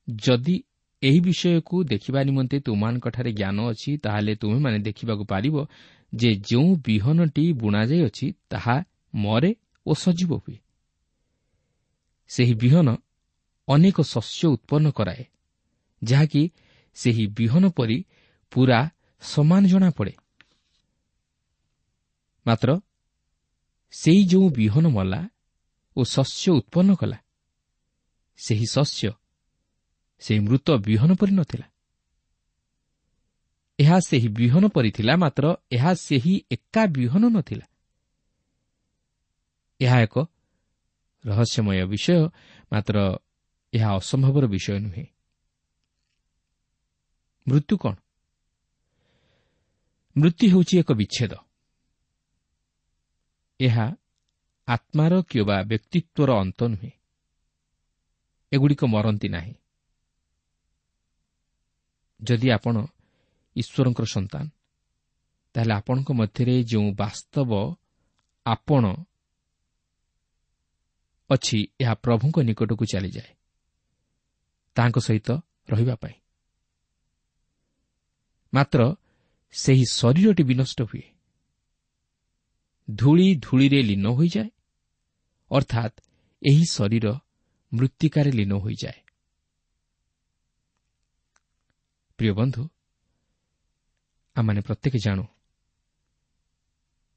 [SPEAKER 3] ଯଦି ଏହି ବିଷୟକୁ ଦେଖିବା ନିମନ୍ତେ ତୁମମାନଙ୍କଠାରେ ଜ୍ଞାନ ଅଛି, ତାହେଲେ ତୁମେମାନେ ଦେଖିବାକୁ ପାରିବ ଯେ ଯେଉଁ ବିହନଟି ବୁଣାଯାଇଅଛି ତାହା ମରେ ଓ ସଜୀବ ହୁଏ। ସେହି ବିହନ ଅନେକ ଶସ୍ୟ ଉତ୍ପନ୍ନ କରାଏ, ଯାହାକି ସେହି ବିହନ ପରି ପୂରା ସମାନ ଜଣାପଡ଼େ। ମାତ୍ର ସେଇ ଯେଉଁ ବିହନ ମଲା ଓ ଶସ୍ୟ ଉତ୍ପନ୍ନ କଲା, ସେହି ଶସ୍ୟ ସେହି ମୃତ ବିହନ ପରି ନଥିଲା। ଏହା ସେହି ବିହନ ପରି ଥିଲା, ମାତ୍ର ଏହା ସେହି ଏକା ବିହନ ନଥିଲା। ଏହା ଏକ ରହସ୍ୟମୟ ବିଷୟ, ମାତ୍ର ଏହା ଅସମ୍ଭବର ବିଷୟ ନୁହେଁ। ମୃତ୍ୟୁ କ'ଣ? ମୃତ୍ୟୁ ହେଉଛି ଏକ ବିଚ୍ଛେଦ। ଏହା ଆତ୍ମାର କିମ୍ବା ବ୍ୟକ୍ତିତ୍ୱର ଅନ୍ତ ନୁହେଁ। ଏଗୁଡ଼ିକ ମରନ୍ତି ନାହିଁ। ଯଦି ଆପଣ ଈଶ୍ୱରଙ୍କର ସନ୍ତାନ, ତାହେଲେ ଆପଣଙ୍କ ମଧ୍ୟରେ ଯେଉଁ ବାସ୍ତବ ଆପଣ ଅଛି, ଏହା ପ୍ରଭୁଙ୍କ ନିକଟକୁ ଚାଲିଯାଏ ତାଙ୍କ ସହିତ ରହିବା ପାଇଁ। ମାତ୍ର ସେହି ଶରୀରଟି ବିନଷ୍ଟ ହୁଏ, ଧୂଳି ଧୂଳିରେ ଲୀନ ହୋଇଯାଏ, ଅର୍ଥାତ୍ ଏହି ଶରୀର ମୃତ୍ତିକାରେ ଲୀନ ହୋଇଯାଏ। ପ୍ରିୟ ବନ୍ଧୁ, ଆମମାନେ ପ୍ରତ୍ୟେକ ଜାଣୁ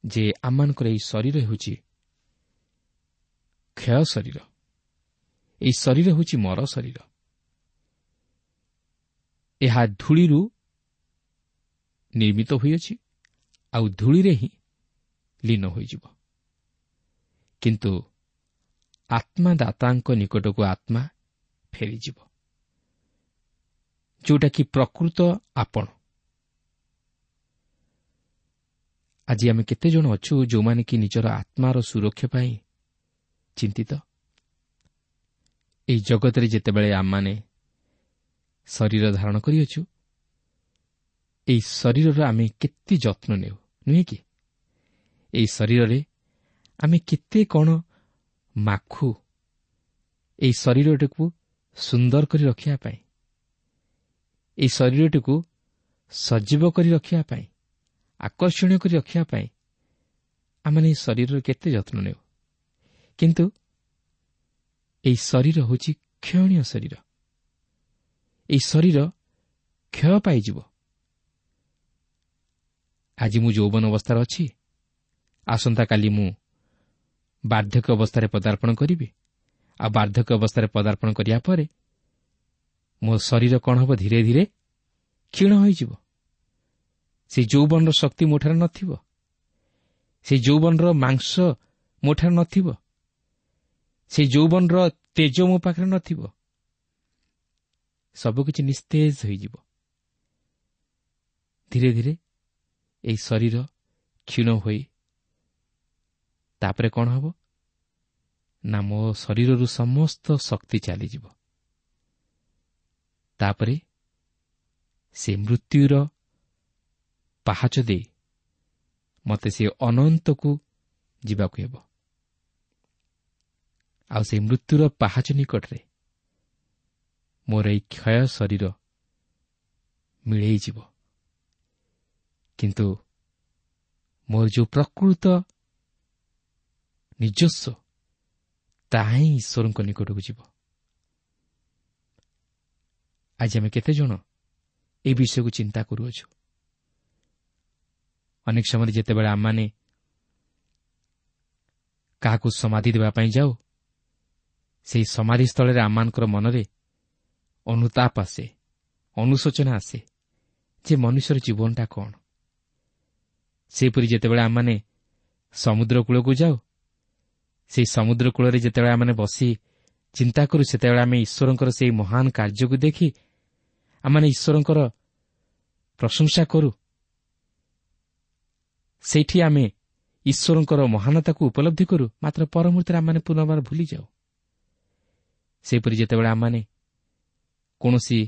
[SPEAKER 3] ଯେ ଆମମାନଙ୍କର ଏହି ଶରୀର ହେଉଛି କ୍ଷୟ ଶରୀର। ଏହି ଶରୀର ହେଉଛି ମର ଶରୀର। ଏହା ଧୂଳିରୁ ନିର୍ମିତ ହୋଇଅଛି, ଆଉ ଧୂଳିରେ ହିଁ ଲୀନ ହୋଇଯିବ। କିନ୍ତୁ ଆତ୍ମାଦାତାଙ୍କ ନିକଟକୁ ଆତ୍ମା ଫେରିଯିବ, ଯେଉଁଟାକି ପ୍ରକୃତ ଆପଣ। ଆଜି ଆମେ କେତେଜଣ ଅଛୁ ଯେଉଁମାନେ କି ନିଜର ଆତ୍ମାର ସୁରକ୍ଷା ପାଇଁ ଚିନ୍ତିତ? ଏହି ଜଗତରେ ଯେତେବେଳେ ଆମମାନେ ଶରୀର ଧାରଣ କରିଅଛୁ, ଏହି ଶରୀରର ଆମେ କେତେ ଯତ୍ନ ନେଉ, ନୁହେଁ କି? ଏହି ଶରୀରରେ ଆମେ କେତେ କ'ଣ ମାଖୁ ଏହି ଶରୀରଟିକୁ ସୁନ୍ଦର କରି ରଖିବା ପାଇଁ, ଏହି ଶରୀରଟିକୁ ସଜୀବ କରି ରଖିବା ପାଇଁ, ଆକର୍ଷଣୀୟ କରି ରଖିବା ପାଇଁ ଆମେ ଏହି ଶରୀରର କେତେ ଯତ୍ନ ନେଉ। କିନ୍ତୁ ଏହି ଶରୀର ହେଉଛି କ୍ଷୟଣୀୟ ଶରୀର। ଏହି ଶରୀର କ୍ଷୟ ପାଇଯିବ। ଆଜି ମୁଁ ଯୌବନ ଅବସ୍ଥାରେ ଅଛି, ଆସନ୍ତାକାଲି ମୁଁ ବାର୍ଦ୍ଧକ୍ୟ ଅବସ୍ଥାରେ ପଦାର୍ପଣ କରିବି। ଆଉ ବାର୍ଦ୍ଧକ୍ୟ ଅବସ୍ଥାରେ ପଦାର୍ପଣ କରିବା ପରେ ମୋ ଶରୀର କ'ଣ ହେବ? ଧୀରେ ଧୀରେ କ୍ଷୀଣ ହୋଇଯିବ। ସେ ଯୌବନର ଶକ୍ତି ମୋଠାରେ ନଥିବ, ସେ ଯୌବନର ମାଂସ ମୋଠାରେ ନଥିବ, ସେ ଯୌବନର ତେଜ ମୋ ପାଖରେ ନଥିବ। ସବୁକିଛି ନିସ୍ତେଜ ହୋଇଯିବ। ଧୀରେ ଧୀରେ ଏହି ଶରୀର କ୍ଷୀଣ ହୋଇ ତାପରେ କ'ଣ ହେବ ନା, ମୋ ଶରୀରରୁ ସମସ୍ତ ଶକ୍ତି ଚାଲିଯିବ। ତାପରେ ସେ ମୃତ୍ୟୁର ପାହାଚ ଦେଇ ମୋତେ ସେ ଅନନ୍ତକୁ ଯିବାକୁ ହେବ। ଆଉ ସେ ମୃତ୍ୟୁର ପାହାଚ ନିକଟରେ ମୋର ଏହି କ୍ଷୟ ଶରୀର ମିଳେଇଯିବ। କିନ୍ତୁ ମୋର ଯେଉଁ ପ୍ରକୃତ ନିଜସ୍ୱ, ତାହା ହିଁ ଈଶ୍ୱରଙ୍କ ନିକଟକୁ ଯିବ। ଆଜି ଆମେ କେତେଜଣ ଏହି ବିଷୟକୁ ଚିନ୍ତା କରୁଅଛୁ? ଅନେକ ସମୟରେ ଯେତେବେଳେ ଆମମାନେ କାହାକୁ ସମାଧି ଦେବା ପାଇଁ ଯାଉ, ସେହି ସମାଧି ସ୍ଥଳରେ ଆମମାନଙ୍କର ମନରେ ଅନୁତାପ ଆସେ, ଅନୁଶୋଚନା ଆସେ ଯେ ମନୁଷ୍ୟର ଜୀବନଟା କ'ଣ। ସେହିପରି ଯେତେବେଳେ ଆମମାନେ ସମୁଦ୍ର କୂଳକୁ ଯାଉ, ସେହି ସମୁଦ୍ର କୂଳରେ ଯେତେବେଳେ ଆମମାନେ ବସି ଚିନ୍ତା କରୁ, ସେତେବେଳେ ଆମେ ଈଶ୍ୱରଙ୍କର ସେହି ମହାନ କାର୍ଯ୍ୟକୁ ଦେଖି ଆମମାନେ ଈଶ୍ୱରଙ୍କର ପ୍ରଶଂସା କରୁ। ସେଇଠି ଆମେ ଈଶ୍ୱରଙ୍କର ମହାନତାକୁ ଉପଲବ୍ଧି କରୁ, ମାତ୍ର ପରମୁହୂର୍ତ୍ତରେ ଆମମାନେ ପୁନର୍ବାର ଭୁଲିଯାଉ। ସେହିପରି ଯେତେବେଳେ ଆମମାନେ କୌଣସି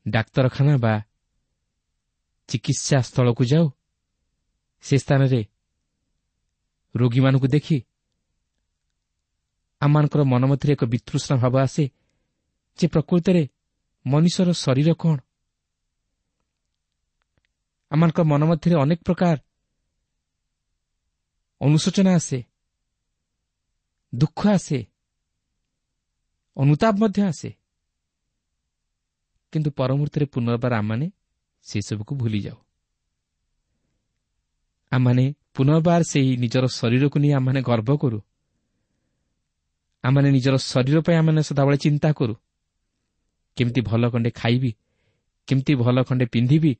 [SPEAKER 3] ଡାକ୍ତରଖାନା ବା ଚିକିତ୍ସା ସ୍ଥଳକୁ ଯାଉ, ସେ ସ୍ଥାନରେ ରୋଗୀମାନଙ୍କୁ ଦେଖି ଆମମାନଙ୍କର ମନ ମଧ୍ୟରେ ଏକ ବିତୃଷ୍ଣା ଭାବ ଆସେ ଯେ ପ୍ରକୃତରେ ମନୁଷ୍ୟର ଶରୀର କ'ଣ। ଆମମାନଙ୍କ ମନ ମଧ୍ୟରେ ଅନେକ ପ୍ରକାର ଅନୁଶୋଚନା ଆସେ, ଦୁଃଖ ଆସେ, ଅନୁତାପ ମଧ୍ୟ ଆସେ, କିନ୍ତୁ ପରମୁହୂର୍ତ୍ତରେ ପୁନର୍ବାର ଆମମାନେ ସେସବୁକୁ ଭୁଲିଯାଉ। ଆମମାନେ ପୁନର୍ବାର ସେହି ନିଜର ଶରୀରକୁ ନେଇ ଆମମାନେ ଗର୍ବ କରୁ। ଆମମାନେ ନିଜର ଶରୀର ପାଇଁ ଆମମାନେ ସଦାବେଳେ ଚିନ୍ତା କରୁ, କେମିତି ଭଲ ଖଣ୍ଡେ ଖାଇବି, କେମିତି ଭଲ ଖଣ୍ଡେ ପିନ୍ଧିବି,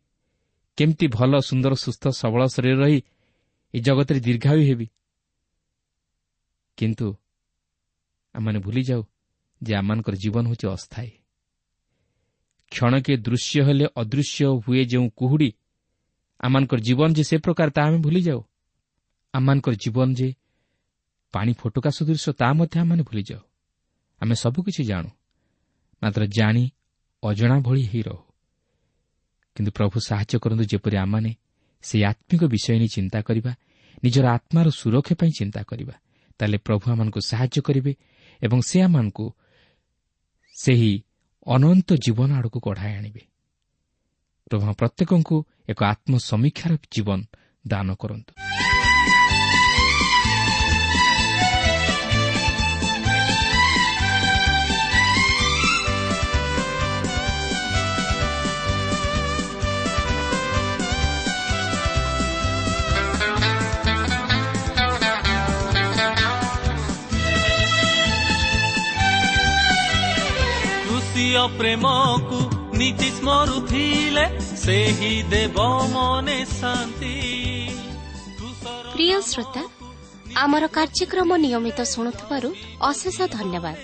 [SPEAKER 3] କେମିତି ଭଲ ସୁନ୍ଦର ସୁସ୍ଥ ସବଳ ଶରୀର ରହି ଏ ଜଗତରେ ଦୀର୍ଘାୟୁ ହେବି। କିନ୍ତୁ ଆମମାନେ ଭୁଲିଯାଉ ଯେ ଆମମାନଙ୍କର ଜୀବନ ହେଉଛି ଅସ୍ଥାୟୀ। କ୍ଷଣକେ ଦୃଶ୍ୟ ହେଲେ ଅଦୃଶ୍ୟ ହୁଏ ଯେଉଁ କୁହୁଡ଼ି, ଆମମାନଙ୍କର ଜୀବନ ଯେ ସେ ପ୍ରକାର ତାହା ଆମେ ଭୁଲିଯାଉ। ଆମମାନଙ୍କର ଜୀବନ ଯେ ପାଣି ଫୋଟକା ସଦୃଶ ତାହା ମଧ୍ୟ ଆମମାନେ ଭୁଲିଯାଉ। ଆମେ ସବୁକିଛି ଜାଣୁ, ମାତ୍ର ଜାଣି ଅଜଣା ଭଳି ହେଇ ରହୁ। କିନ୍ତୁ ପ୍ରଭୁ ସାହାଯ୍ୟ କରନ୍ତୁ ଯେପରି ଆମମାନେ ସେହି ଆତ୍ମିକ ବିଷୟ ନେଇ ଚିନ୍ତା କରିବା, ନିଜର ଆତ୍ମାର ସୁରକ୍ଷା ପାଇଁ ଚିନ୍ତା କରିବା। ତାହେଲେ ପ୍ରଭୁ ଆମମାନଙ୍କୁ ସାହାଯ୍ୟ କରିବେ ଏବଂ ସେ ଆମମାନଙ୍କୁ ସେହି ଅନନ୍ତ ଜୀବନ ଆଡ଼କୁ କଢ଼ାଇ ଆଣିବେ। ପ୍ରଭୁ ପ୍ରତ୍ୟେକଙ୍କୁ ଏକ ଆତ୍ମସମୀକ୍ଷାର ଜୀବନ ଦାନ କରନ୍ତୁ।
[SPEAKER 2] ପ୍ରେମକୁ ନୀତି ସ୍ମରୁଥିଲେ ସେହି ଦେବ ମନେ ଶାନ୍ତି।
[SPEAKER 1] ପ୍ରିୟ ଶ୍ରୋତା, ଆମର କାର୍ଯ୍ୟକ୍ରମ ନିୟମିତ ଶୁଣୁଥିବାରୁ ଅଶେଷ ଧନ୍ୟବାଦ।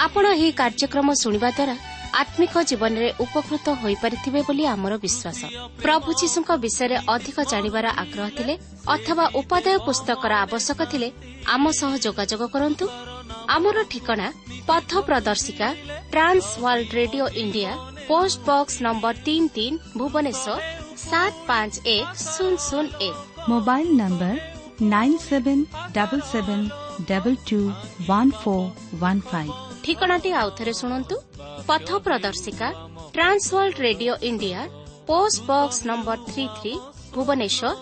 [SPEAKER 1] ଆପଣ ଏହି କାର୍ଯ୍ୟକ୍ରମ ଶୁଣିବା ଦ୍ୱାରା ଆତ୍ମିକ ଜୀବନରେ ଉପକୃତ ହୋଇପାରିଥିବେ ବୋଲି ଆମର ବିଶ୍ୱାସ। ପ୍ରଭୁ ଯୀଶୁଙ୍କ ବିଷୟରେ ଅଧିକ ଜାଣିବାର ଆଗ୍ରହ ଥିଲେ ଅଥବା ଉପାଦେୟ ପୁସ୍ତକର ଆବଶ୍ୟକ ଥିଲେ ଆମ ସହ ଯୋଗାଯୋଗ କରନ୍ତୁ। ଆମର ଠିକଣା ପଥ ପ୍ରଦର୍ଶିକା, Trans World Radio India, post box number 33, Bhubaneswar 751001।
[SPEAKER 4] Mobile number 9777221415।
[SPEAKER 1] ଠିକଣାଟି ଆଉଥରେ ଶୁଣନ୍ତୁ। ପଥ ପ୍ରଦର୍ଶିକା, Trans World Radio India, post box number 33, Bhubaneswar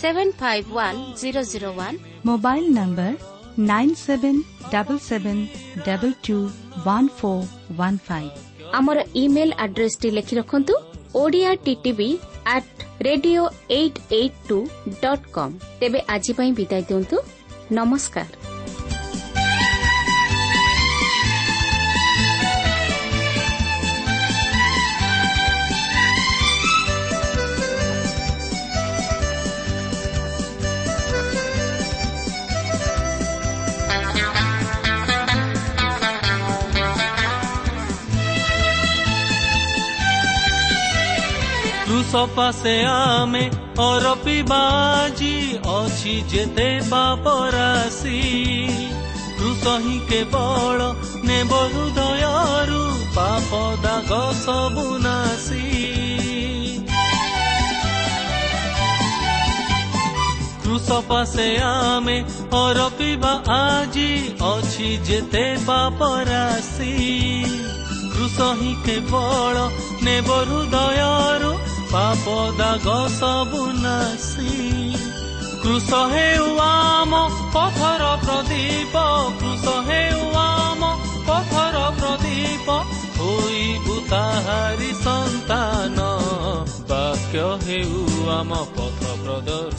[SPEAKER 1] 751001।
[SPEAKER 4] Mobile number 9777221415।
[SPEAKER 1] ଆମର ଇମେଲ୍ ଆଡ୍ରେସଟି ଲେଖି ରଖନ୍ତୁ, Odia TTV at radio 882.com। ତେବେ ଆଜି ପାଇଁ ବିଦାୟ ଦିଅନ୍ତୁ। ନମସ୍କାର।
[SPEAKER 2] କ୍ରୁଶ ପାଶେ ଆମେ ଅରପିବାଜି ଅଛି ଯେତେ ପାପ ରାଶି। କ୍ରୁଶ ହିଁ କେବଳ ନେବ ହୃଦୟରୁ ପାପ ଦାଗ ସବୁ ନାଶି। କ୍ରୁଶ ପାଶେ ଆମେ ଅରପିବା ଆଜି ଅଛି ଯେତେ ପାପ ରାଶି। କ୍ରୁଶ ହିଁ କେବଳ ନେବ ହୃଦୟରୁ ପାପ ଦାଗ ସବୁ ନାଶି। କ୍ରୁଶ ହେଉ ଆମ ପଥର ପ୍ରଦୀପ, କ୍ରୁଶ ହେଉ ଆମ ପଥର ପ୍ରଦୀପ, ହୋଇବୁ ତାହାରି ସନ୍ତାନ। ବାକ୍ୟ ହେଉ ଆମ ପଥ ପ୍ରଦର୍ଶକ।